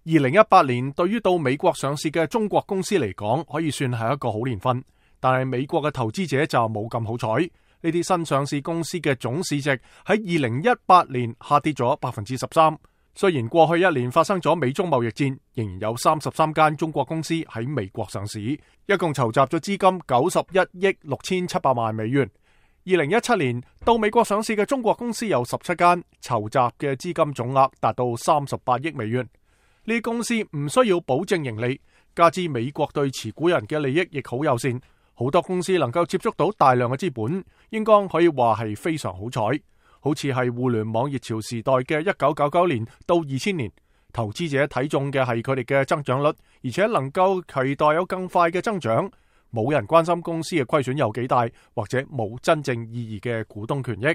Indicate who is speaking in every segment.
Speaker 1: 2018年對於到美國上市嘅中國公司嚟講，可以算係一個好年份，但係美國嘅投資者就冇咁好彩。呢啲新上市公司嘅總市值喺2018年下跌咗 13%。雖然過去一年發生咗美中貿易戰，仍然有33間中國公司喺美國上市，一共籌集咗資金91億6700萬美元。2017年到美國上市嘅中國公司有17間，籌集嘅資金總額達到38億美元。呢啲公司唔需要保證盈利，加之美國對持股人嘅利益亦好友善，好多公司能夠接觸到大量嘅資本，應該可以話係非常好彩。好似係互聯網熱潮時代嘅1999年到2000年，投資者睇中嘅係佢哋嘅增長率，而且能夠期待有更快嘅增長。冇人關心公司嘅虧損有幾大，或者冇真正意義嘅股東權益。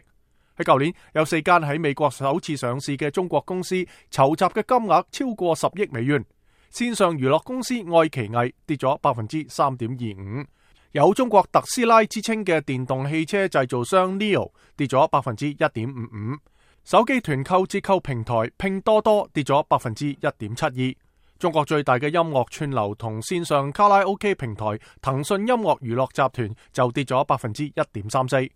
Speaker 1: 喺舊年有4間喺美國首次上市嘅中國公司籌集嘅金額超過10億美元。線上娛樂公司愛奇藝跌咗 3.25%， 有中國特斯拉之稱嘅電動汽車製造商 NIO 跌咗 1.55%， 手機團購折扣平台拼多多跌咗 1.72%。中國最大嘅音樂串流同線上卡拉 OK 平台騰訊音樂娛樂集團就跌咗 1.34%。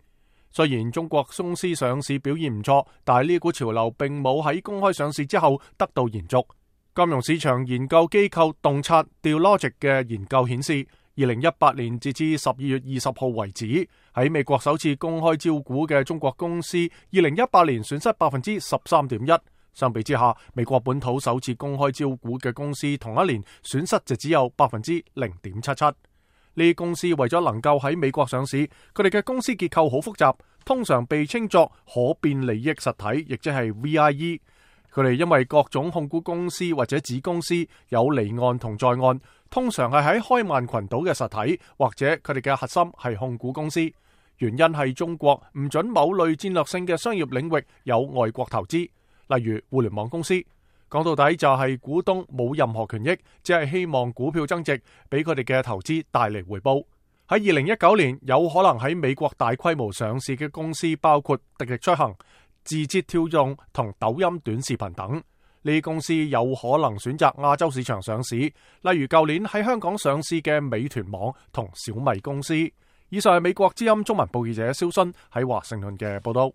Speaker 1: 雖然中國公司上市表現唔錯，但係呢股潮流並冇喺公開上市之後得到延續。金融市場研究機構洞察 Dealogic 嘅研究顯示，2018年截至12月20號為止，喺美國首次公開招股嘅中國公司2018年損失 13.1%。相比之下，美國本土首次公開招股嘅公司同一年損失就只有 0.77%。呢啲公司為咗能夠喺美國上市，佢哋嘅公司結構好複雜，通常被稱作可變利益實體，亦即係 VIE。佢哋因為各種控股公司或者子公司有離岸同在岸，通常係喺開曼群島嘅實體，或者佢哋嘅核心係控股公司。原因係中國唔准某類戰略性嘅商業領域有外國投資，例如互聯網公司。講到底就係股東冇任何權益，只係希望股票增值，俾佢哋嘅投資帶嚟回報。喺2019年，有可能喺美國大規模上市嘅公司包括滴滴出行、字節跳動同抖音短視頻等。呢啲公司有可能選擇亞洲市場上市，例如舊年喺香港上市嘅美團網同小米公司。以上係美國之音中文報記者蕭勳喺華盛頓嘅報道。